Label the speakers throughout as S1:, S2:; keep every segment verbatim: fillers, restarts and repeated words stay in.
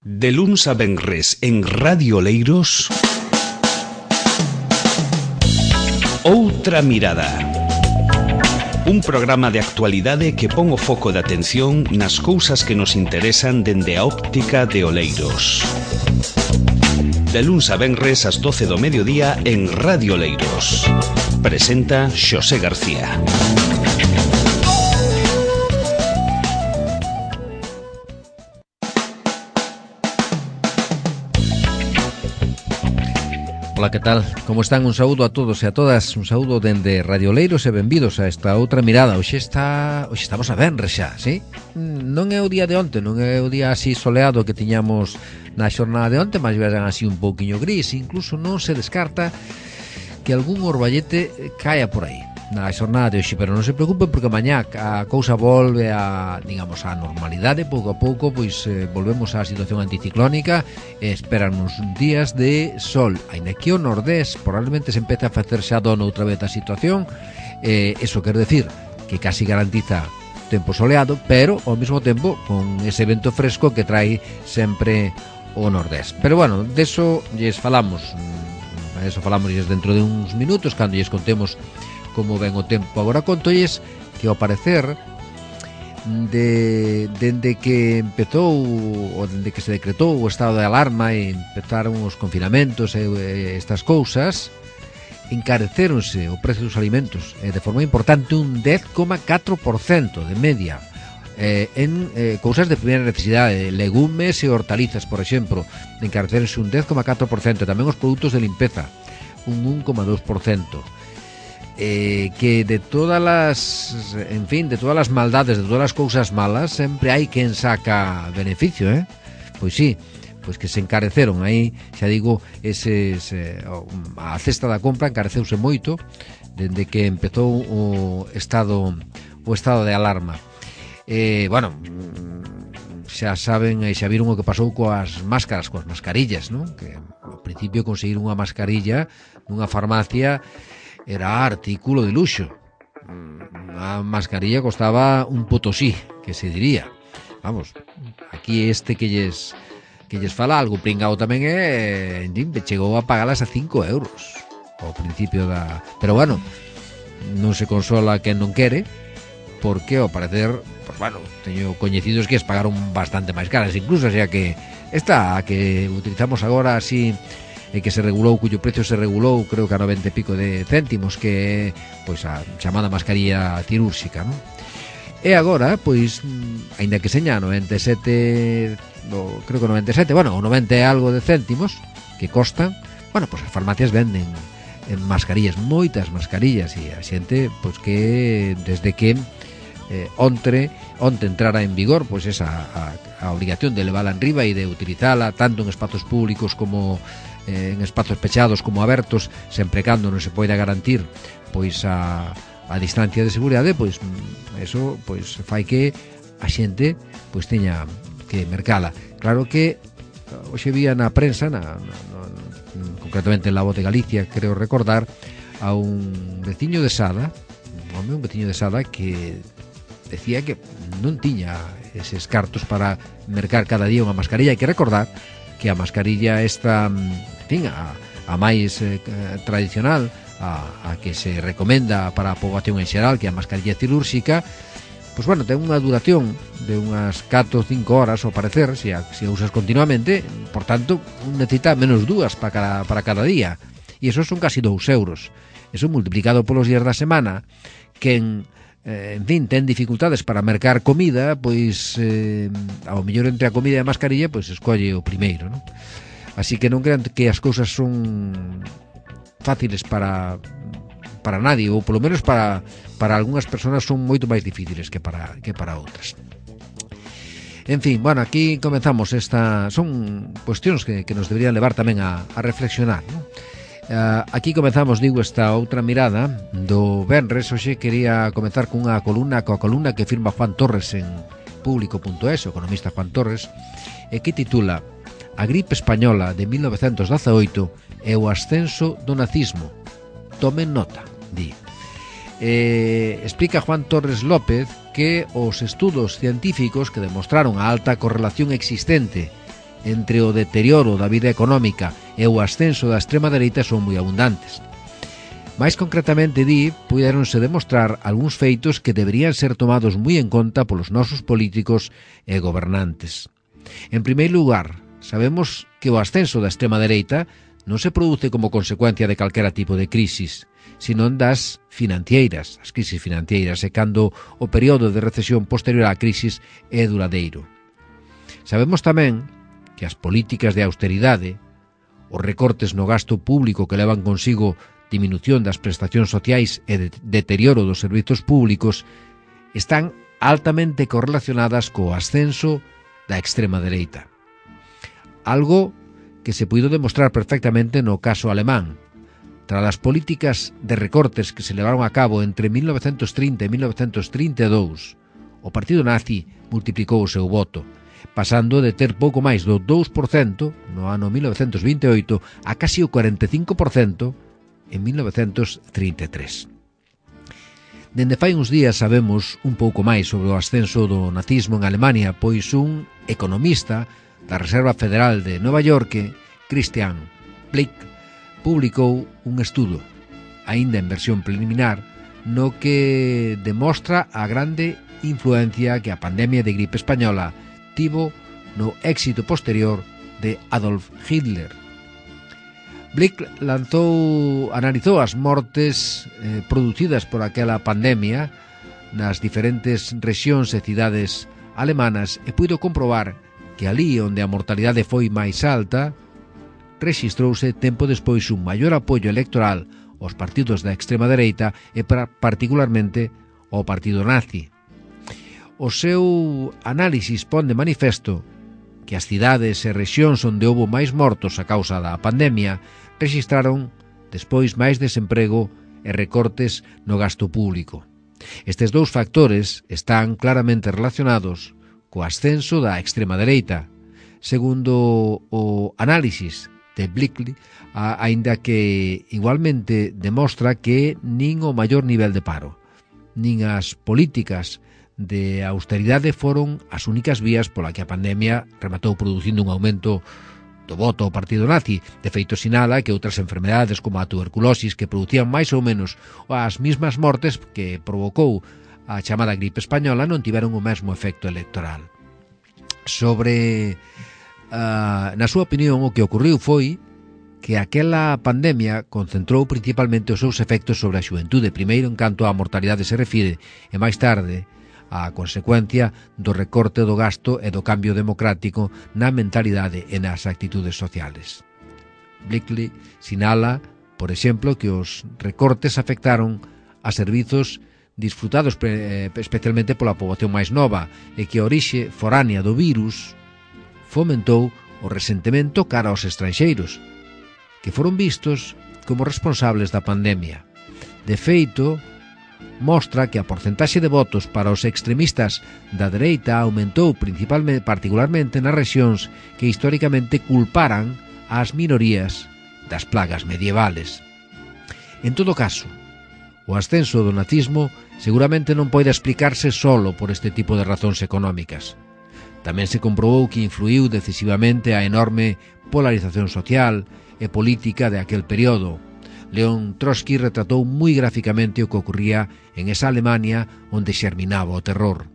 S1: De luns a venres en Radio Oleiros, Outra Mirada. Un programa de actualidade que pon o foco de atención nas cousas que nos interesan dende a óptica de Oleiros. De luns a venres ás doce do mediodía en Radio Oleiros. Presenta Xosé García.
S2: Ola, que tal? Como están? Un saúdo a todos e a todas. Un saúdo dende Radio Oleiros e benvidos a esta outra mirada. Hoxe está... Hoxe estamos a venres xa, sí? Non é o día de onte, non é o día así soleado que tiñamos na xornada de onte, mas vean así un pouquiño gris. Incluso non se descarta que algún orballete caia por aí na xornada de hoxe, pero non se preocupen porque mañá a cousa volve a, digamos, a normalidade. Pouco a pouco, pois eh, volvemos á situación anticiclónica e esperan uns días de sol, aínda que o nordés probablemente se empece a facer xa dono outra vez a situación. Eh, eso quer decir que casi garantiza tempo soleado, pero ao mesmo tempo con ese vento fresco que trae sempre o nordés. Pero bueno, deso lles falamos, eso falamos lles dentro de uns minutos, cando lles contemos como ven o tempo. Agora contolles que ao parecer de, dende que empezou ou dende que se decretou o estado de alarma e empezaron os confinamentos e, e estas cousas, encareceronse o precio dos alimentos e de forma importante un dez coma catro por cento de media eh, en eh, cousas de primeira necesidade, legumes e hortalizas, por exemplo, encareceronse un dez coma catro por cento, tamén os produtos de limpeza un un coma dos por cento. Eh, que de todas las, en fin, de todas las maldades, de todas las cousas malas, sempre hai quen saca beneficio, eh? Pois sí, pois que se encareceron aí, xa digo, eses, eh, a cesta da compra encareceuse moito dende que empezou o estado o estado de alarma. Eh, bueno, xa saben e xa viron o que pasou coas máscaras, coas mascarillas, non? Que ao principio conseguir unha mascarilla nunha farmacia era artículo de luxo. A mascarilla costaba un potosí, que se diría. Vamos, aquí este que lles que lles fala algo pringao tamén é, chegou a pagalas a cinco euros ao principio da... Pero bueno, non se consola quen non quere, porque ao parecer, pues bueno, teño coñecidos que es pagaron bastante máis caras, incluso, o sea que esta a que utilizamos agora así, e que se regulou, cuyo precio se regulou creo que a noventa e pico de céntimos, que é pois a chamada mascarilla cirúrxica, non? E agora, pois, aínda que seña noventa e sete, no, creo que noventa e sete, bueno, o noventa e algo de céntimos que costan, bueno, pois as farmacias venden en mascarillas, moitas mascarillas, e a xente, pois que desde que eh, ontre, onte entrara en vigor, pois esa a, a obligación de levala en riba e de utilizala tanto en espazos públicos como en espazos pechados como abertos, sempre cando non se poida garantir pois a, a distancia de seguridade, pois eso pois fai que a xente pois teña que mercala. Claro que hoxe vía na prensa, na, na, na, concretamente en La Voz de Galicia, creo recordar, a un veciño de Sada, un home, un veciño de Sada que decía que non tiña eses cartos para mercar cada día unha mascarilla. Hai que recordar que a mascarilla esta, en fin, a, a máis eh, tradicional, a, a que se recomenda para a poboación en xeral, que é a mascarilla cirúrxica, pois bueno, ten unha duración de unhas catro ou cinco horas, ao parecer, se a, se a usas continuamente, por tanto, necesita menos dúas para cada, para cada día, e eso son casi dous euros. Eso multiplicado polos días da semana, que en Eh, en fin, ten dificultades para mercar comida, pois eh, ao mellor entre a comida e a mascarilla, pois escolle o primeiro, non? Así que non crean que as cousas son fáciles para para nadie, ou polo menos para para algunhas persoas son moito máis difíciles que para que para outras. En fin, bueno, aquí comenzamos esta, son cuestións que, que nos deberían levar tamén a, a reflexionar, non? Uh, aquí comenzamos, digo, esta outra mirada do venres. Hoxe quería comenzar cunha columna, coa columna que firma Juan Torres en público punto es, o economista Juan Torres, e que titula A gripe española de mil novecentos dezaoito e o ascenso do nazismo. Tomen nota, di. Eh, explica Juan Torres López que os estudos científicos que demostraron a alta correlación existente entre o deterioro da vida económica e o ascenso da extrema dereita son moi abundantes. Mais concretamente, di, puidéronse demostrar algúns feitos que deberían ser tomados moi en conta polos nosos políticos e gobernantes. En primeiro lugar, sabemos que o ascenso da extrema dereita non se produce como consecuencia de calquera tipo de crisis, sino das financeiras, as crisis financeiras, e cando o período de recesión posterior á crisis é duradeiro. Sabemos tamén que as políticas de austeridade, os recortes no gasto público que levan consigo diminución das prestacións sociais e de deterioro dos servizos públicos, están altamente correlacionadas co ascenso da extrema dereita. Algo que se puido demostrar perfectamente no caso alemán. Tras as políticas de recortes que se levaron a cabo entre mil novecentos trinta e mil novecentos trinta e dous, o partido nazi multiplicou o seu voto, pasando de ter pouco máis do dous por cento no ano mil novecentos vinte e oito a casi o cuarenta e cinco por cento en mil novecentos trinta e tres. Dende fai uns días sabemos un pouco máis sobre o ascenso do nazismo en Alemania, pois un economista da Reserva Federal de Nova York, Christian Blick, publicou un estudo, aínda en versión preliminar, no que demostra a grande influencia que a pandemia de gripe española tivo no éxito posterior de Adolf Hitler. Blick lanzou, analizou as mortes eh, producidas por aquela pandemia nas diferentes rexións e cidades alemanas e puido comprobar que ali onde a mortalidade foi máis alta, rexistrouse tempo despois un maior apoio electoral aos partidos da extrema dereita e particularmente ao partido nazi. O seu análisis pon de manifesto que as cidades e rexións onde houbo máis mortos a causa da pandemia rexistraron despois máis desemprego e recortes no gasto público. Estes dous factores están claramente relacionados co ascenso da extrema dereita, segundo o análisis de Blick, aínda que igualmente demostra que nin o maior nivel de paro, nin as políticas de austeridade foron as únicas vías pola que a pandemia rematou producindo un aumento do voto ao partido nazi. De feito, sinala que outras enfermedades como a tuberculosis, que producían máis ou menos as mismas mortes que provocou a chamada gripe española, non tiveron o mesmo efecto electoral. Sobre, uh, na súa opinión, o que ocurriu foi que aquela pandemia concentrou principalmente os seus efectos sobre a xuventude, primeiro en canto á mortalidade se refire, e máis tarde a consecuencia do recorte do gasto e do cambio democrático na mentalidade e nas actitudes sociales. Blickley sinala, por exemplo, que os recortes afectaron a servizos disfrutados pre, especialmente pola poboación máis nova e que a orixe foránea do virus fomentou o resentimento cara aos estranxeiros, que foron vistos como responsables da pandemia. De feito, mostra que a porcentaxe de votos para os extremistas da dereita aumentou principalmente, particularmente nas rexións que históricamente culparan ás minorías das plagas medievales. En todo caso, o ascenso do nazismo seguramente non pode explicarse solo por este tipo de razóns económicas. Tamén se comprobou que influiu decisivamente a enorme polarización social e política de aquel período. León Trotsky retratou moi gráficamente o que ocurría en esa Alemania onde xerminaba o terror.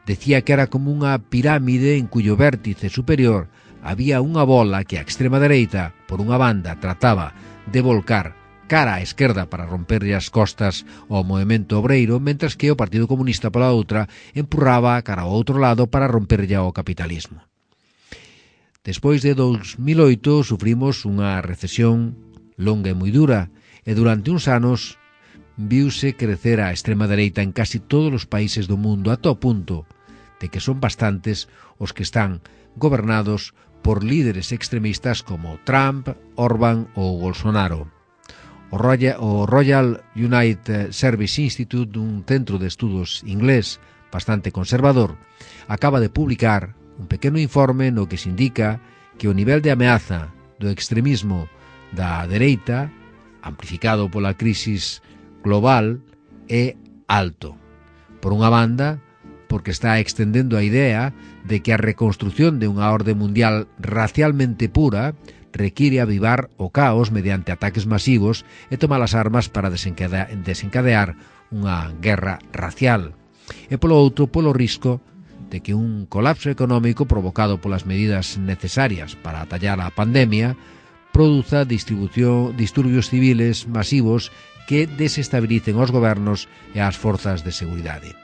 S2: Decía que era como unha pirámide en cuyo vértice superior había unha bola que a extrema dereita, por unha banda, trataba de volcar cara á esquerda para romperlle as costas ao movemento obreiro, mentras que o Partido Comunista pola outra empurraba cara ao outro lado para romperlle ao capitalismo. Despois de dos mil oito sufrimos unha recesión longa e moi dura e durante uns anos viuse crecer a extrema dereita en casi todos os países do mundo ata o punto de que son bastantes os que están gobernados por líderes extremistas como Trump, Orbán ou Bolsonaro. O Royal, o Royal United Service Institute, un centro de estudos inglés bastante conservador, acaba de publicar un pequeno informe no que se indica que o nivel de ameaza do extremismo da dereita, amplificado pola crisis global, é alto. Por unha banda, porque está extendendo a idea de que a reconstrucción de unha orde mundial racialmente pura require avivar o caos mediante ataques masivos e tomar as armas para desencadear, desencadear unha guerra racial. E polo outro, polo risco de que un colapso económico provocado polas medidas necesarias para atallar a pandemia produza distribución, disturbios civiles masivos que desestabilicen os gobernos e as forzas de seguridade.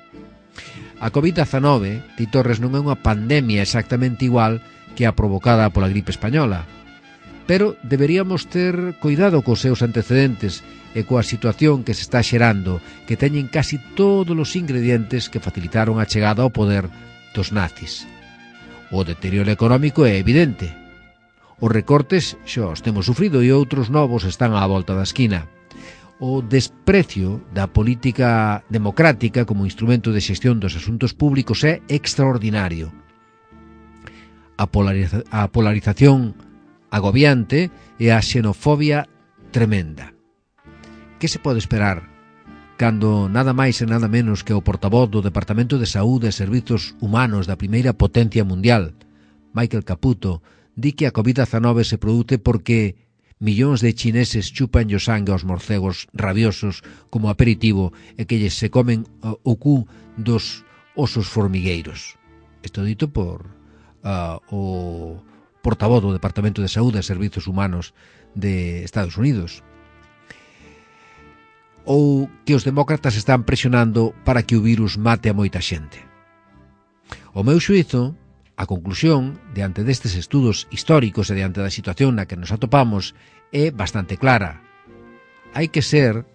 S2: A covid dezanove, Ti Torres, non é unha pandemia exactamente igual que a provocada pola gripe española, pero deberíamos ter cuidado cos seus antecedentes e coa situación que se está xerando, que teñen casi todos os ingredientes que facilitaron a chegada ao poder dos nazis. O deterioro económico é evidente. Os recortes xa os temos sufrido e outros novos están á volta da esquina. O desprecio da política democrática como instrumento de xestión dos asuntos públicos é extraordinario. A, polariza a polarización agobiante e a xenofobia tremenda. Que se pode esperar cando nada máis e nada menos que o portavoz do Departamento de Saúde e Servizos Humanos da primeira potencia mundial, Michael Caputo, di que a covid dezanove se produce porque millóns de chineses chupan o sangue aos morcegos rabiosos como aperitivo e que lles se comen o cu dos osos formigueiros. Isto dito por uh, o portavoz do Departamento de Saúde e Servizos Humanos de Estados Unidos. Ou que os demócratas están presionando para que o virus mate a moita xente. O meu xuízo, a conclusión, diante destes estudos históricos e diante da situación na que nos atopamos, é bastante clara. Hai que ser,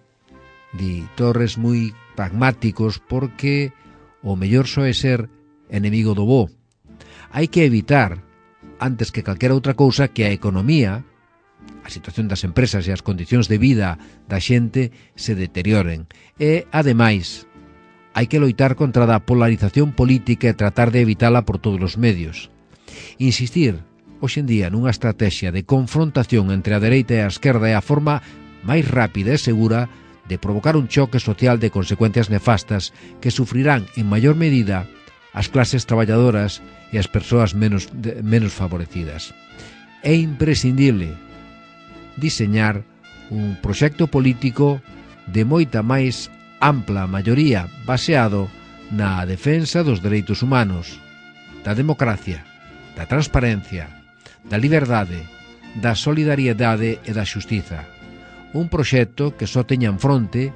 S2: di Torres, moi pragmáticos porque o mellor só é ser enemigo do bo. Hai que evitar, antes que calquera outra cousa, que a economía, a situación das empresas e as condicións de vida da xente se deterioren. E, ademais, hai que loitar contra a polarización política e tratar de evitala por todos os medios. Insistir, hoxe en día, nunha estrategia de confrontación entre a dereita e a esquerda é a forma máis rápida e segura de provocar un choque social de consecuencias nefastas que sufrirán en maior medida as clases traballadoras e as persoas menos, de, menos favorecidas. É imprescindible diseñar un proxecto político de moita máis ampla maioría baseado na defensa dos dereitos humanos, da democracia, da transparencia, da liberdade, da solidariedade e da xustiza. Un proxecto que só teña en fronte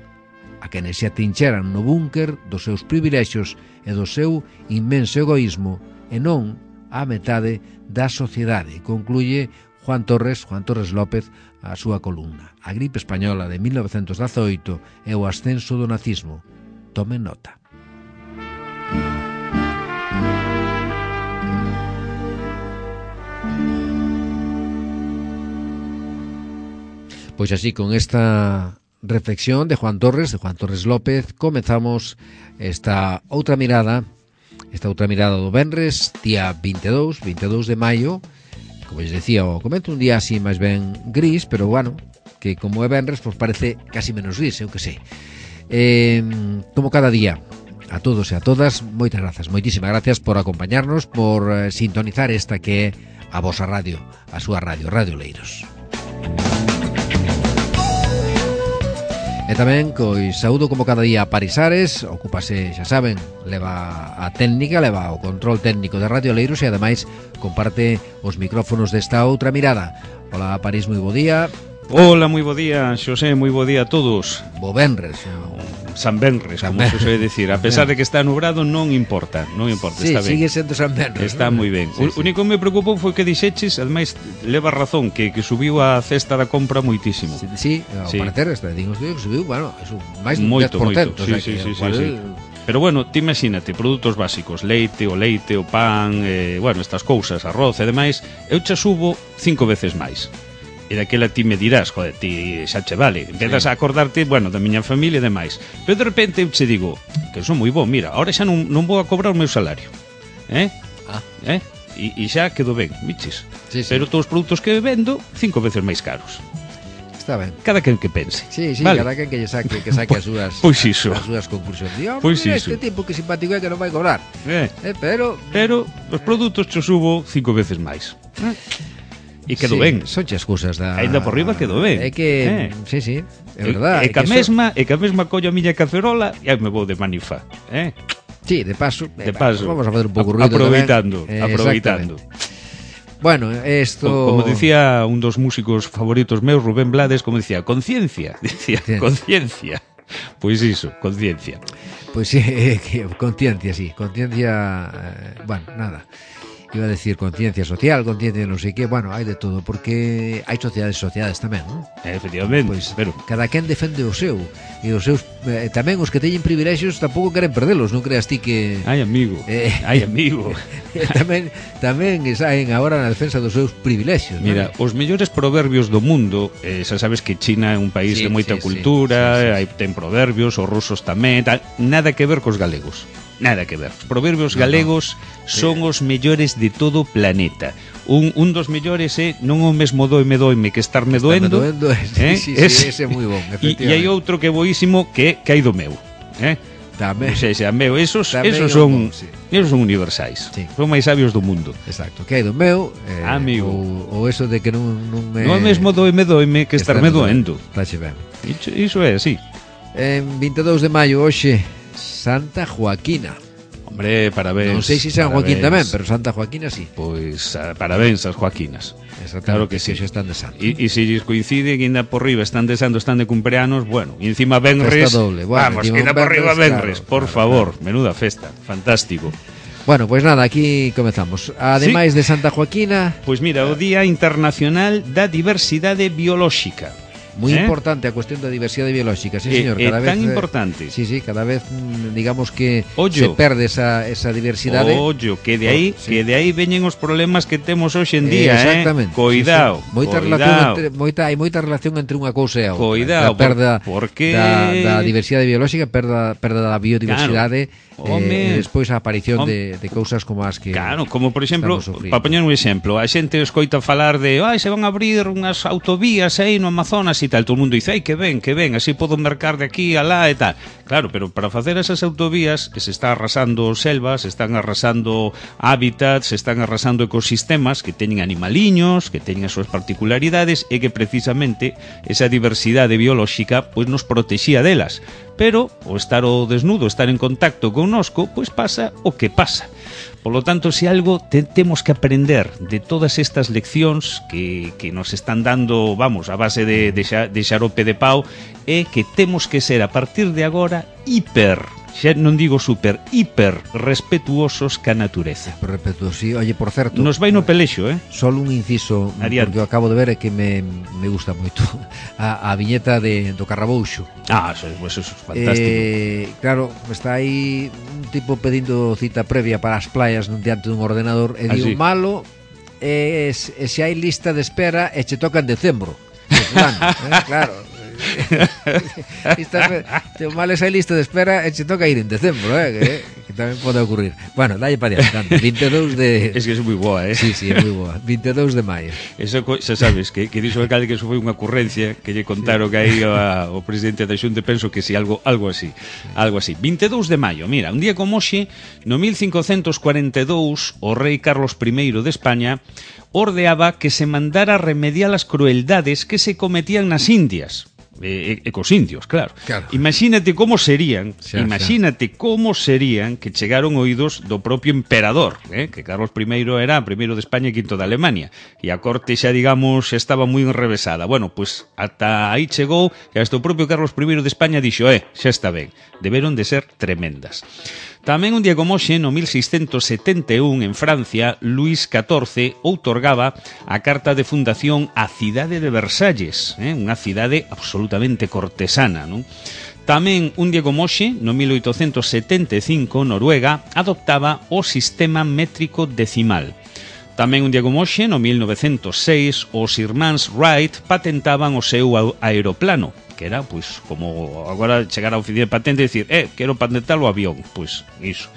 S2: a quenes se atrincheran no búnker dos seus privilexios e do seu inmenso egoísmo e non a metade da sociedade, concluye Juan Torres, Juan Torres López, a súa columna. A gripe española de mil novecentos dezaoito e o ascenso do nazismo. Tomen nota. Pois así, con esta reflexión de Juan Torres, de Juan Torres López, comezamos esta outra mirada, esta outra mirada do venres, día vinte e dous, vinte e dous de maio. Como les decía, o comento un día así máis ben gris, pero bueno, que como é venres, pois parece casi menos gris, eu que sei. Eh, como cada día, a todos e a todas, moitas grazas, moitísimas gracias por acompañarnos, por eh, sintonizar esta que é a vosa radio, a súa radio, Radio Oleiros. E tamén, cois saúdo como cada día a Parisares, ocúpase, xa saben, leva a técnica, leva o control técnico de Radio Oleiros e ademais comparte os micrófonos desta outra mirada. Hola, París, moi bo día.
S1: Hola, moi bo día, Xosé, moi bo día a todos.
S2: Bo venres.
S1: San Benres, San como se suele decir. A pesar de que está nubrado, non importa, non importa,
S2: sí,
S1: está ben.
S2: sigue sendo San Benres.
S1: Está
S2: ¿no?
S1: moi ben.
S2: Sí,
S1: o
S2: sí.
S1: único que me preocupou foi que dixeches, ademais, leva razón, que, que subiu a cesta da compra moitísimo.
S2: Sí, sí, ao
S1: Sí.
S2: parecer, este, digo, que subiu, bueno, eso, máis dun
S1: Moito,
S2: dez por cento.
S1: moito.
S2: O sea,
S1: Sí, sí,
S2: que,
S1: sí,
S2: cual,
S1: sí, sí. Pero bueno, ti imagínate, produtos básicos, leite, o leite, o pan, eh, bueno, estas cousas, arroz e demais, eu xa subo cinco veces máis. E daquela ti me dirás, joder, ti xa che vale. Empezas sí. a acordarte, bueno, da miña familia e demais. Pero de repente eu che digo, que son moi bo, mira, ahora xa non, non vou a cobrar o meu salario. Eh?
S2: Ah.
S1: Eh? E, e xa quedo ben, miches.
S2: Sí, sí.
S1: Pero todos os produtos que vendo, cinco veces máis caros.
S2: está ben.
S1: Cada quen que pense.
S2: Sí, sí,
S1: vale.
S2: cada quen que lle saque, que saque as súas
S1: Pois iso.
S2: as súas conclusións. Digo,
S1: Pois
S2: mira,
S1: iso.
S2: este tipo que simpático é que non vai cobrar.
S1: Eh,
S2: Eh, pero
S1: pero os produtos cho subo cinco veces máis. E quedou
S2: sí,
S1: ben.
S2: Son as cousas da
S1: Aínda por riba quedou ben.
S2: É que,
S1: Eh.
S2: sí, sí, é verdad.
S1: E, e
S2: é
S1: que a
S2: eso-
S1: mesma, e que a mesma collo a miña cacerola e aí me vou de manifa, eh?
S2: Sí, de paso,
S1: De
S2: eh,
S1: paso.
S2: vamos a facer un pouco
S1: A-
S2: ruido
S1: aproveitando,
S2: tamén. Eh,
S1: aproveitando.
S2: exactamente. Bueno, esto
S1: Co- Como dicía un dos músicos favoritos meus, Rubén Blades, como dicía, conciencia, dicía,
S2: Sí.
S1: conciencia. Pois iso, conciencia.
S2: Pois sí, eh, que conciencia, sí, conciencia, eh, bueno, nada. Iba a decir conciencia social, conciencia non sei que, bueno, hai de todo, porque hai sociedades sociedades tamén, non?
S1: Eh, efectivamente,
S2: Pois
S1: pero
S2: cada quen defende o seu, e os seus eh, tamén os que teñen privilexios tampouco queren perdelos, non creas ti que
S1: ai amigo,
S2: Eh.
S1: ai amigo.
S2: tamén tamén saen agora na defensa dos seus privilexios, non?
S1: Mira, os mellores proverbios do mundo, eh, xa sabes que China é un país
S2: Sí,
S1: de moita
S2: sí,
S1: cultura,
S2: sí, sí, sí.
S1: hai ten proverbios, os rusos tamén, tal, nada que ver cos galegos. Nada que ver. Os proverbios
S2: No, no.
S1: galegos son os mellores de todo o planeta. Un, un dos mellores é non o mesmo doime doime que estarme
S2: Estarme
S1: doendo.
S2: doendo,
S1: eh?
S2: sí, sí,
S1: Ese-
S2: ese é moi bon,
S1: E, e hai
S2: efectivamente.
S1: outro que é boísimo que, que hai do meu. Eh?
S2: Tamén,
S1: O sea, xa, meu, esos,
S2: Tamén
S1: esos
S2: é
S1: son
S2: un bon, sí.
S1: esos son universais.
S2: Sí.
S1: Son máis sabios do mundo.
S2: exacto, que hai do meu, eh,
S1: Amigo.
S2: ou, ou eso de que non, non me...
S1: Non é mesmo doime doime que estarme doendo.
S2: Tache ben.
S1: Iso, iso é así.
S2: En vinte e dous de maio hoxe, Santa Joaquina.
S1: Hombre, parabéns.
S2: Non sei se San
S1: parabéns.
S2: Joaquín tamén, pero Santa Joaquina sí.
S1: Pois ah, parabéns ás Joaquinas.
S2: Exactamente,
S1: Claro que sí.
S2: hoxe están de santo.
S1: E, e se lles coincide que ainda por riba están desando, están de cumpleanos, bueno, e encima Benres,
S2: Festa doble, bueno,
S1: vamos,
S2: encima
S1: que ainda
S2: un
S1: por riba
S2: Benres,
S1: Benres,
S2: claro,
S1: por
S2: claro,
S1: favor, menuda festa, fantástico.
S2: Bueno, pois pues nada, aquí comezamos. Ademais de Santa Joaquina,
S1: Pois mira, o Día Internacional da Diversidade Biolóxica.
S2: moi
S1: Eh?
S2: importante a cuestión da diversidade biolóxica, sí,
S1: É-
S2: señor,
S1: é
S2: cada vez
S1: tan
S2: eh,
S1: importante.
S2: Sí, sí, cada vez mm, digamos que
S1: Ollo.
S2: se perde esa esa diversidade.
S1: Ollo, que de aí,
S2: Oh, sí.
S1: que de aí veñen os problemas que temos hoxe en día,
S2: Exactamente.
S1: eh? Coidado,
S2: Sí, sí. Moita
S1: coidado.
S2: relación entre moita hai moita relación entre unha cousa e a outra.
S1: Coidado,
S2: a perda
S1: por- porque-
S2: da, da diversidade biolóxica, perda perda da biodiversidade,
S1: Home.
S2: eh, e despois a aparición
S1: Home.
S2: de, de cousas como as que
S1: Claro, como por exemplo,
S2: estamos sufrindo.
S1: para poñer un exemplo, a xente escoita falar de, ai, se van a abrir unhas autovías aí no Amazonas e tal, todo o mundo dice, ai, que ben, que ben, así podo mercar de aquí a lá e tal. Claro, pero para facer esas autovías se está arrasando selvas, se están arrasando hábitats, se están arrasando ecosistemas que teñen animaliños, que teñen as súas particularidades e que precisamente esa diversidade biolóxica pois nos protexía delas. Pero o estar o desnudo, estar en contacto connosco, pois pasa o que pasa. Por lo tanto, se algo te, temos que aprender de todas estas leccións que, que nos están dando, vamos, a base de, de, xa, de xarope de pau, é que temos que ser, a partir de agora, hiper, xa non digo super, hiper respetuosos ca natureza.
S2: Por respeto, sí, oye, por certo,
S1: Nos vai no pelexo, eh?
S2: solo un inciso,
S1: Adiante.
S2: porque eu acabo de ver e que me, me gusta moito a, a viñeta de, do Carrabouxo.
S1: Ah, eso, eso es fantástico.
S2: Eh, claro, está aí un tipo pedindo cita previa para as playas nun diante dun ordenador e
S1: Ah,
S2: di
S1: sí.
S2: o malo é, se, se hai lista de espera e che toca en decembro. Pues, fulano, eh, claro. Lista, o malo é se hai lista de espera e che toca ir en decembro, eh, que, que tamén pode ocurrir. Bueno, dalle para diante, vinte e dous de...
S1: Es que es moi boa, eh?
S2: Sí, sí, é moi boa. vinte e dous de maio.
S1: Eso, co- xa sabes, que, que dixo o alcalde que eso foi unha ocurrencia que lle contaron que aí a, o presidente da Xunta, penso que si, algo algo así, algo así. vinte e dous de maio, mira, un día como hoxe, no mil cincocentos cuarenta e dous, o rei Carlos primeiro de España ordeaba que se mandara remediar as crueldades que se cometían nas Indias. E, e, e cos indios, claro.
S2: Claro.
S1: Imagínate como serían,
S2: Xa,
S1: imagínate como serían que chegaron oídos do propio emperador, eh? Que Carlos primeiro era primeiro de España e quinto de Alemania, e a corte xa, digamos, xa estaba moi enrevesada. Bueno, pois ata aí chegou e hasta o propio Carlos primeiro de España dixo, eh, xa está ben, deberon de ser tremendas. Tamén un día como hoxe, no mil seiscentos setenta e un, en Francia, Luís catorce outorgaba a carta de fundación á cidade de Versalles, eh? Unha cidade absolutamente cortesana, non? Tamén un día como hoxe, no mil oitocentos setenta e cinco, Noruega adoptaba o sistema métrico decimal. Tamén un día como hoxe, no mil novecentos seis, os irmáns Wright patentaban o seu aeroplano, que era, pois, como agora chegar a oficina de patente e dicir, eh, quero patentar o avión, pois, iso,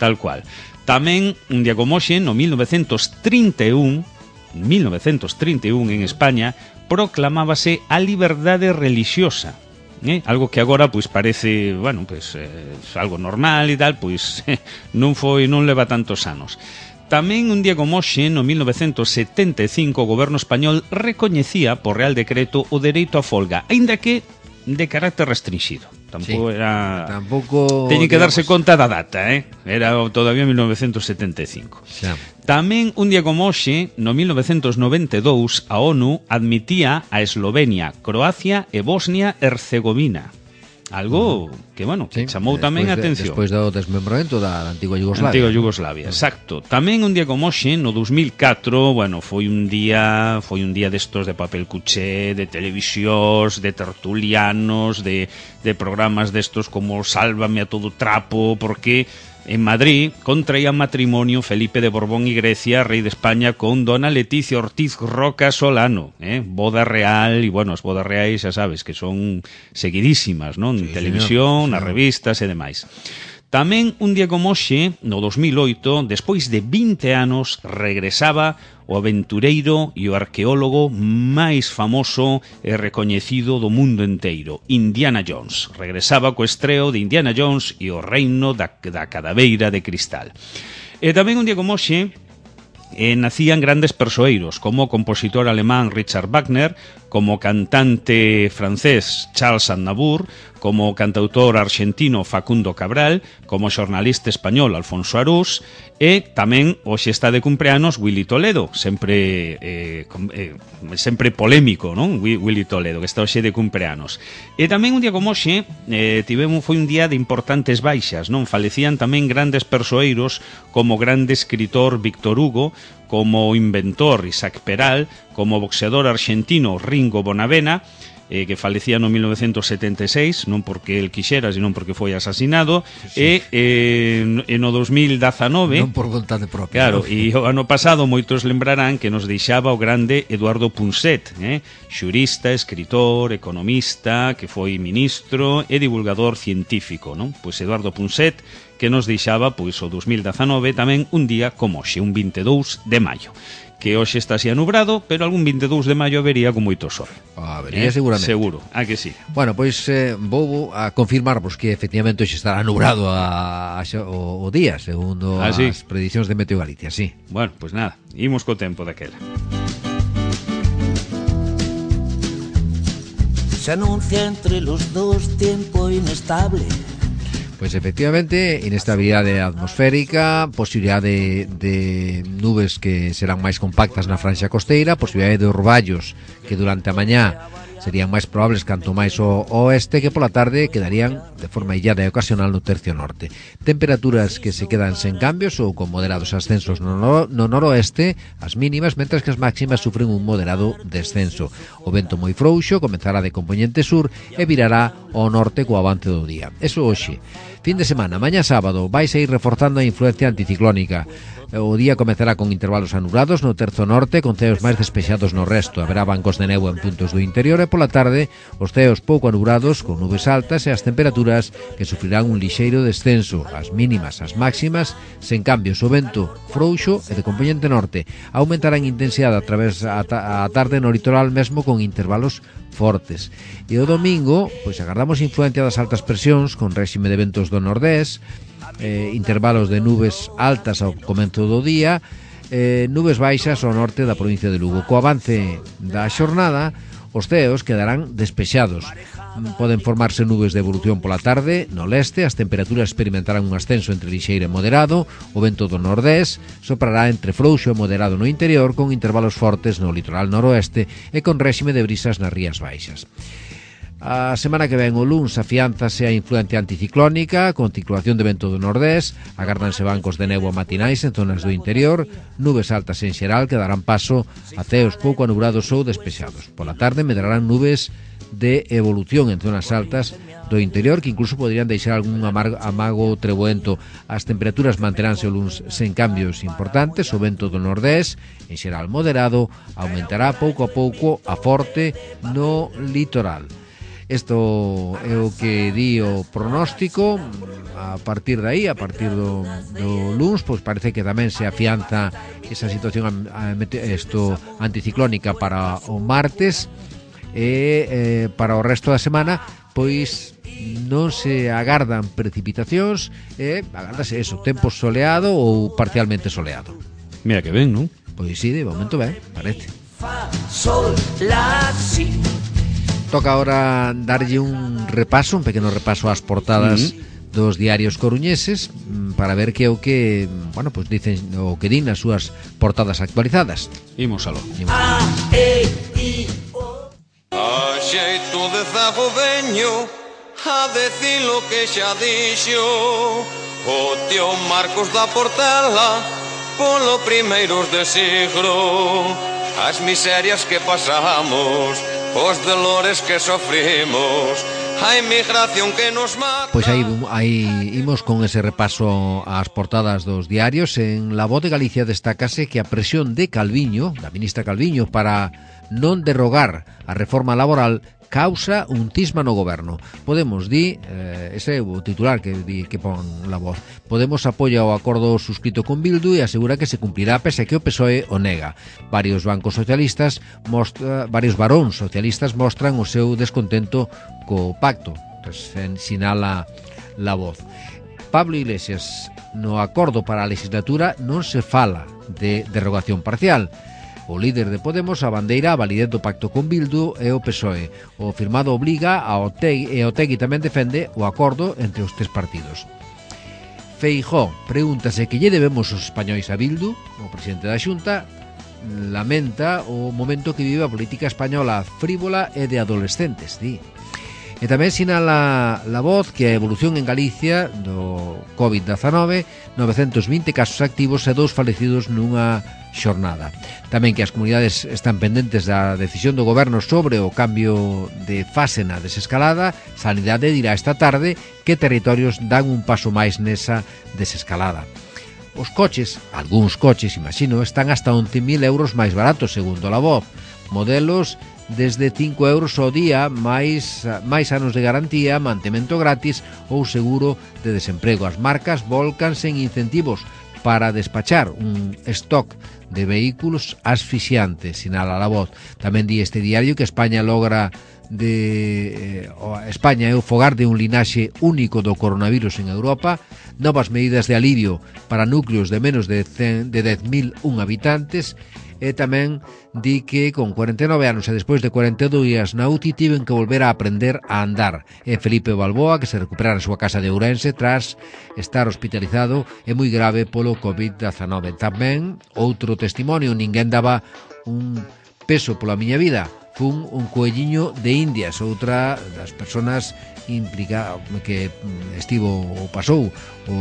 S1: tal cual. Tamén un día como hoxe, no mil novecentos trinta e un, mil novecentos trinta e un en España, proclamábase a liberdade relixiosa. Eh? Algo que agora pois parece, bueno, pois eh, algo normal e tal, pois eh, non foi, non leva tantos anos. Tamén un día como hoxe, no mil novecentos setenta e cinco, o goberno español recoñecía por Real Decreto o dereito a folga, aínda que de carácter restringido. Tampouco sí, era... Tampouco... Teñen que darse conta da data, eh? Era todavía mil novecentos setenta e cinco. Xa. Tamén, un día como hoxe, no mil novecentos noventa e dous, a ONU admitía a Eslovenia, Croacia e Bosnia-Herzegovina. Algo que, bueno, que sí, chamou tamén a atención.
S2: Despois do desmembramento da antigua Yugoslavia.
S1: Antigua Yugoslavia, exacto. Tamén un día como hoxe, no dos mil catro, bueno, foi un día foi un día destos de papel cuché, de televisións, de tertulianos, de, de programas destos como Sálvame a todo trapo, porque en Madrid contraía matrimonio Felipe de Borbón y Grecia, rei de España, con dona Leticia Ortiz Roca Solano, eh? Boda real, e bueno, as bodas reais xa sabes que son seguidísimas, non? En sí, televisión, señor, nas revistas e demais. Tamén un día como hoxe, no dos mil oito, despois de vinte anos, regresaba o aventureiro e o arqueólogo máis famoso e recoñecido do mundo enteiro, Indiana Jones. Regresaba co estreo de Indiana Jones e o reino da, da cadaveira de cristal. E tamén un día como hoxe, eh, nacían grandes persoeiros, como o compositor alemán Richard Wagner, como cantante francés Charles Aznavour, como cantautor argentino Facundo Cabral, como xornalista español Alfonso Arús, e tamén hoxe está de cumpleanos Willy Toledo, sempre eh, eh, sempre polémico, non? Willy Toledo, que está hoxe de cumpleanos. E tamén un día como hoxe eh, tivemos foi un día de importantes baixas, non? Falecían tamén grandes persoeiros como grande escritor Víctor Hugo, como inventor Isaac Peral, como boxeador argentino Ringo Bonavena, eh, que falecía no mil novecentos setenta e seis, non porque el quixera, sino porque foi asasinado, sí, sí. e eh, no dos mil dezanove,
S2: non por vontade propia.
S1: Claro, e o ano pasado moitos lembrarán que nos deixaba o grande Eduardo Punset, eh, xurista, escritor, economista, que foi ministro e divulgador científico, non? Pois Eduardo Punset, que nos deixaba pois o dos mil dezanove tamén un día como hoxe, un vinte e dous de maio, que hoxe está así anubrado, pero algún vinte e dous de maio vería con moito sol.
S2: Ah, vería eh? seguramente.
S1: Seguro, a que sí.
S2: Bueno, pois eh, vou a confirmarvos que efectivamente hoxe estará anubrado a, a, o, o día, segundo ah, sí? as prediccións de Meteo Galicia, sí.
S1: Bueno, pois nada, imos co tempo daquela.
S3: Se anuncia entre los dos tiempo inestable.
S2: Pois efectivamente, inestabilidade atmosférica, posibilidade de, de nubes que serán máis compactas na franxa costeira, posibilidade de orballos que durante a mañá serían máis probables canto máis ao oeste, que pola tarde quedarían de forma illada e ocasional no tercio norte. Temperaturas que se quedan sen cambios ou con moderados ascensos no, no, no noroeste, as mínimas, mentras que as máximas sufren un moderado descenso. O vento moi frouxo comenzará de componente sur e virará ao norte co avance do día. Eso hoxe. Fin de semana, mañá sábado, vais a ir reforzando a influencia anticiclónica. O día comezará con intervalos anulados no terzo norte, con ceos máis despexados no resto. Haberá bancos de néboa en puntos do interior e pola tarde os ceos pouco anulados con nubes altas e as temperaturas que sufrirán un lixeiro descenso. As mínimas, as máximas, sen cambios. O vento frouxo e de componente norte. Aumentará en intensidade a través a, ta a tarde no litoral mesmo con intervalos fortes. E o domingo, pois agardamos influencia das altas presións con réxime de ventos do nordés, eh, intervalos de nubes altas ao comezo do día, eh, nubes baixas ao norte da provincia de Lugo. Co avance da xornada, os ceos quedarán despexados. Poden formarse nubes de evolución pola tarde no leste, as temperaturas experimentarán un ascenso entre lixeiro e moderado, o vento do nordés soprará entre frouxo e moderado no interior, con intervalos fortes no litoral noroeste e con réxime de brisas nas rías baixas. A semana que ven o luns afiánzase a influencia anticiclónica con circulación de vento do nordés, agárdanse bancos de néboa matinais en zonas do interior, nubes altas en xeral que darán paso a ceos pouco anubrados ou despexados. Pola tarde medrarán nubes de evolución en zonas altas do interior que incluso poderían deixar algún amago treboento. As temperaturas manteránse o luns sen cambios importantes, o vento do nordés en xeral moderado aumentará pouco a pouco a forte no litoral. Isto é o que di o pronóstico. A partir de aí, a partir do, do luns, pois parece que tamén se afianza esa situación a, a, esto, anticiclónica para o martes, e eh, para o resto da semana pois non se agardan precipitacións, e agardase eso, tempo soleado ou parcialmente soleado.
S1: Mira que ben, non?
S2: Pois sí, de momento ben, parece.
S3: Fa, sol, la, si.
S2: Toca ahora darlle un repaso, un pequeno repaso ás portadas mm-hmm. dos diarios coruñeses, para ver que é o que, bueno, pues dicen o que din as súas portadas actualizadas.
S1: Imos aló.
S3: A, E, I, O.
S4: A xeito de zago veño a decir lo que xa dixo o tío Marcos da Portela polo primeiros de siglo. As miserias que pasamos, os dolores que sofrimos, a inmigración que nos mata.
S2: Pois aí, aí imos con ese repaso ás portadas dos diarios. En La Voz de Galicia destácase que a presión de Calviño, da ministra Calviño, para non derrogar a reforma laboral causa un cisma no goberno. Podemos di, eh, ese é o titular que di que pon La Voz. Podemos apoia o acordo suscrito con Bildu e asegura que se cumplirá pese que o P S O E o nega. Varios bancos socialistas, mostra, varios varóns socialistas mostran o seu descontento co pacto, sinala La Voz. Pablo Iglesias, no acordo para a legislatura non se fala de derrogación parcial. O líder de Podemos abandeira a validez do pacto con Bildu e o P S O E. O firmado obriga a Otegi, e Otegi tamén defende o acordo entre os tres partidos. Feijóo pregúntase que lle debemos os españois a Bildu. O presidente da Xunta lamenta o momento que vive a política española frívola e de adolescentes, di. E tamén sinala La Voz que a evolución en Galicia do covid dezanove, novecentos vinte casos activos e dous falecidos nunha xornada. Tamén que as comunidades están pendentes da decisión do goberno sobre o cambio de fase na desescalada. Sanidade dirá esta tarde que territorios dan un paso máis nesa desescalada. Os coches, algúns coches, imagino, están hasta once mil euros máis baratos, segundo La Voz. Modelos desde cinco euros ao día, máis, máis anos de garantía, mantemento gratis ou seguro de desemprego. As marcas volcanse en incentivos para despachar un stock de vehículos asfixiante, sinala La Voz. Tamén di este diario que España logra de eh, España é o fogar de un linaxe único do coronavirus en Europa. Novas medidas de alivio para núcleos de menos de, de dez mil un habitantes. E tamén di que con cuarenta e nove anos e despois de cuarenta e dous días na U C I tiven que volver a aprender a andar. E Felipe Balboa, que se recupera na súa casa de Ourense tras estar hospitalizado e moi grave polo covid dezanove. Tamén outro testimonio: ninguén daba un peso pola miña vida, fun un coelliño de Indias. Outra das persoas implica que estivo ou pasou o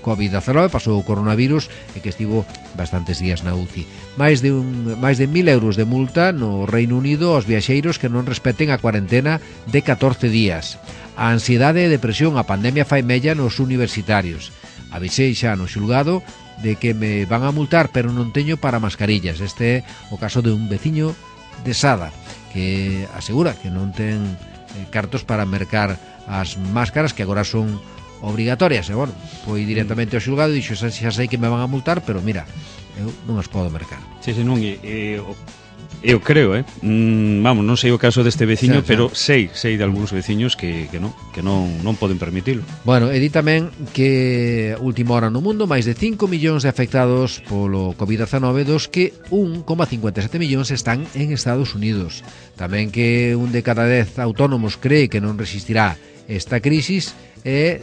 S2: covid dezanove, pasou o coronavirus e que estivo bastantes días na U C I. Máis de un máis de mil euros de multa no Reino Unido aos viaxeiros que non respeten a cuarentena de catorce días. A ansiedade e depresión, a pandemia fai mella nos universitarios. Avisei xa no xulgado de que me van a multar, pero non teño para mascarillas. Este é o caso de un veciño de Sada que asegura que non ten cartos para mercar as máscaras que agora son obrigatorias. E, bueno, foi directamente ao xulgado e dixo, xa, xa sei que me van a multar, pero mira, eu non as podo mercar.
S1: Sí, sí, non, e, e, eu creo, eh? Mm, vamos, non sei o caso deste veciño, sí, sí. Pero sei, sei de algúns veciños que, que non, que non, non poden permitilo.
S2: Bueno, e di tamén que última hora no mundo, máis de cinco millóns de afectados polo covid dezanove, dos que un coma cincuenta e sete millóns están en Estados Unidos. Tamén que un de cada dez autónomos cree que non resistirá esta crisis. E,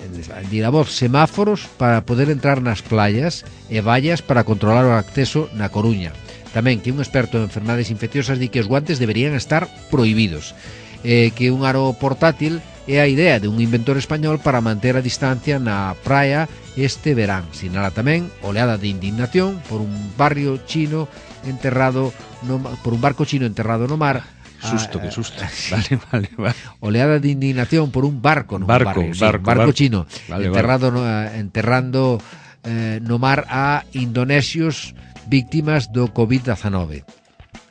S2: di La Voz, semáforos para poder entrar nas playas e vallas para controlar o acceso na Coruña. Tamén que un experto en enfermedades infecciosas di que os guantes deberían estar prohibidos. E que un aro portátil é a idea de un inventor español para manter a distancia na praia este verán. Sinala tamén oleada de indignación por un barrio chino enterrado no, por un barco chino enterrado no mar.
S1: Susto, que susto. Vale, vale, vale.
S2: Oleada de indignación por un barco no
S1: barco,
S2: barrio, sí,
S1: barco,
S2: barco, barco chino
S1: vale,
S2: enterrado
S1: vale.
S2: No, enterrando eh, no mar a indonesios víctimas do covid dezanove.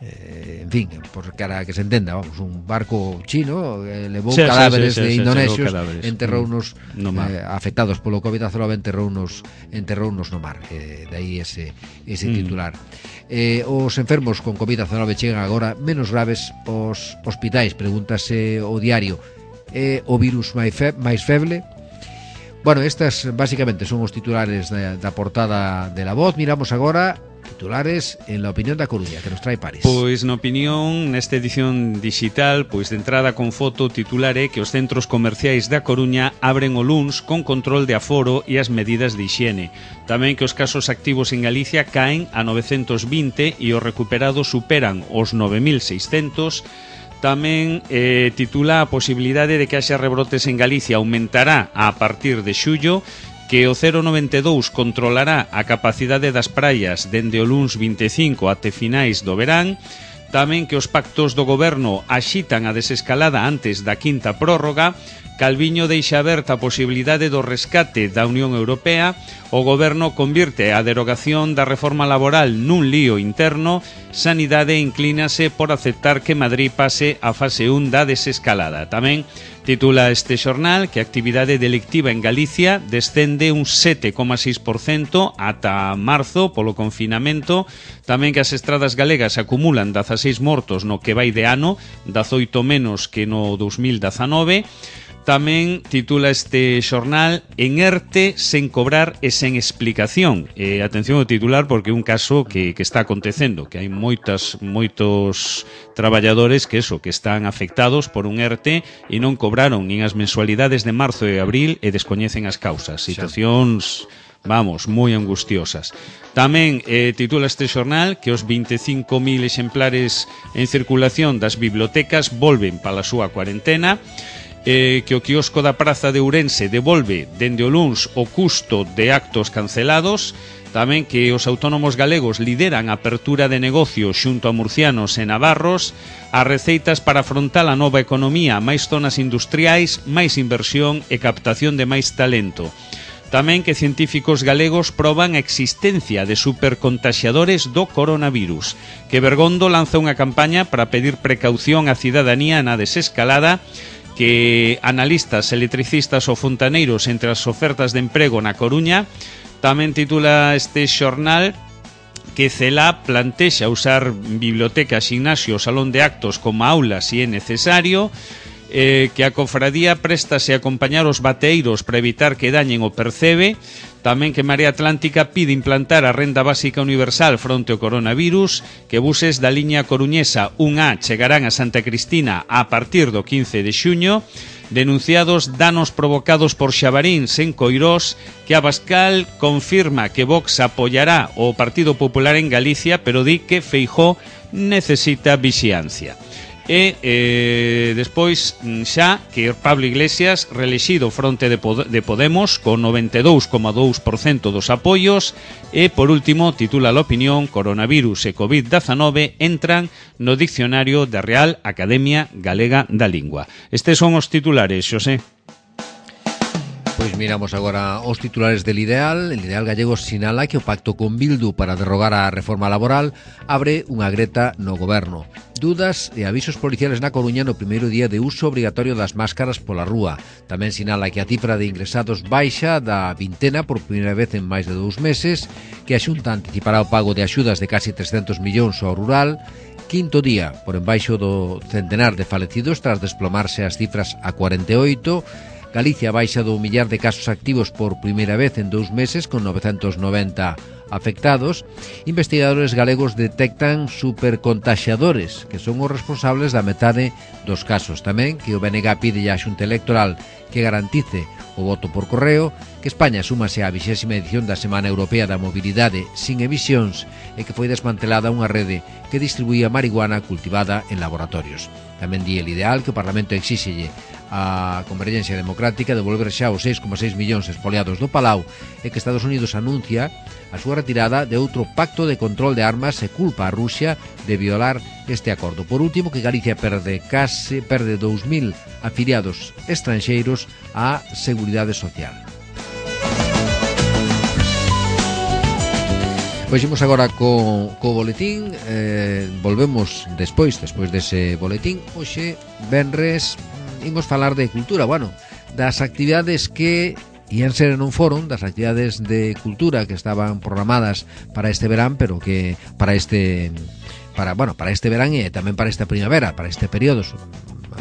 S2: eh, en fin, por cara que se entenda, vamos, un barco chino eh, levou
S5: sí,
S2: cadáveres
S5: sí, sí,
S2: de
S5: sí,
S2: indonesios,
S5: cadáveres.
S2: enterrou unos
S5: no
S2: eh, afectados polo covid diecinueve, enterrou unos enterrou unos no mar, eh, de aí ese ese
S5: Mm.
S2: titular. Eh, os enfermos con covid diecinueve chegan agora menos graves aos hospitais, pregúntase o diario. Eh, o virus máis, fe, máis feble? Bueno, estas básicamente son os titulares da, da portada de La Voz. Miramos agora titulares en La Opinión da Coruña, que nos trae Paris.
S5: Pois na opinión, nesta edición digital, pois de entrada con foto, titular é que os centros comerciais da Coruña abren o luns con control de aforo e as medidas de hixiene. Tamén que os casos activos en Galicia caen a novecentos vinte e os recuperados superan os nove mil seiscentos. Tamén eh, titula a posibilidade de que haxa rebrotes en Galicia aumentará a partir de xullo, que o cero noventa e dous controlará a capacidade das praias dende o luns vinte e cinco até finais do verán. Tamén que os pactos do goberno axitan a desescalada antes da quinta prórroga. Calviño deixa aberta a posibilidade do rescate da Unión Europea. O goberno convirte a derogación da reforma laboral nun lío interno. Sanidade inclínase por aceptar que Madrid pase a fase un da desescalada. Tamén titula este xornal que a actividade delictiva en Galicia descende un sete coma seis por cento ata marzo polo confinamento. Tamén que as estradas galegas acumulan dezaseis mortos no que vai de ano, dezoito menos que no dos mil dezanove. Tamén titula este xornal en ERTE sen cobrar e sen explicación. Eh, atención ao titular porque é un caso que, que está acontecendo, que hai moitas, moitos traballadores que eso, que están afectados por un ERTE e non cobraron nin as mensualidades de marzo e abril e descoñecen as causas. Situacións, vamos, moi angustiosas. Tamén eh, titula este xornal que os vinte e cinco mil exemplares en circulación das bibliotecas volven para a súa cuarentena. Eh, que o quiosco da Praza de Ourense devolve dende o luns o custo de actos cancelados. Tamén que os autónomos galegos lideran a apertura de negocio xunto a murcianos e navarros. As receitas para afrontar a nova economía, máis zonas industriais, máis inversión e captación de máis talento. Tamén que científicos galegos proban a existencia de supercontaxiadores do coronavirus. Que Bergondo lanza unha campaña para pedir precaución á cidadanía na desescalada. Que analistas, electricistas ou fontaneiros entre as ofertas de emprego na Coruña. Tamén titula este xornal que Celá plantexa usar bibliotecas, gimnasio, salón de actos como aulas se é necesario. Eh, que a cofradía préstase a acompañar os bateeiros para evitar que dañen o percebe. Tamén que Marea Atlántica pide implantar a renda básica universal fronte ao coronavirus, que buses da liña coruñesa un A chegarán a Santa Cristina a partir do quince de xuño, denunciados danos provocados por xabaríns en Coirós, que Abascal confirma que Vox apoiará o Partido Popular en Galicia, pero di que Feijóo necesita vixiancia. E eh, despois xa que Pablo Iglesias reelexido fronte de, Pod de Podemos con noventa e dous coma dous por cento dos apoios. E por último titula a opinión coronavirus e covid diecinueve entran no dicionario da Real Academia Galega da Lingua. Estes son os titulares, Xosé.
S2: Pois miramos agora os titulares del Ideal. El Ideal gallego sinala que o pacto con Bildu para derrogar a reforma laboral abre unha greta no goberno. Dudas e avisos policiales na Coruña no primeiro día de uso obrigatorio das máscaras pola rúa. Tamén sinala que a cifra de ingresados baixa da vintena por primeira vez en máis de dous meses, que a Xunta anticipará o pago de axudas de casi trescentos millóns ao rural. Quinto día por embaixo do centenar de falecidos tras desplomarse as cifras a cuarenta e oito. Galicia baixa do millar de casos activos por primeira vez en dous meses con novecentos noventa afectados. Investigadores galegos detectan supercontaxiadores que son os responsables da metade dos casos. Tamén que o B N G pide á Xunta Electoral que garantice o voto por correo, que España súmase á vixésima edición da Semana Europea da Mobilidade sin emisións e que foi desmantelada unha rede que distribuía marihuana cultivada en laboratorios. Tamén di el Ideal que o Parlamento exíxelle a Convergencia Democrática devolver xa os seis coma seis millóns espoliados do Palau e que Estados Unidos anuncia a súa retirada de outro pacto de control de armas e culpa a Rusia de violar este acordo. Por último, que Galicia perde case perde dous mil afiliados estranxeiros á Seguridade Social. Pois imos agora co, co boletín, eh, volvemos despois, despois dese boletín. Hoxe, venres, imos falar de cultura, bueno, das actividades que ian ser non foron, das actividades de cultura que estaban programadas para este verán, pero que para este para, bueno, para este verán e tamén para esta primavera, para este período,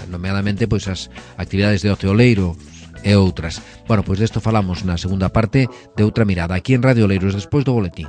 S2: nomeadamente pois as actividades de ocio oleiro e outras. Bueno, pois desto falamos na segunda parte de Outra Mirada, aquí en Radio Oleiros, despois do boletín.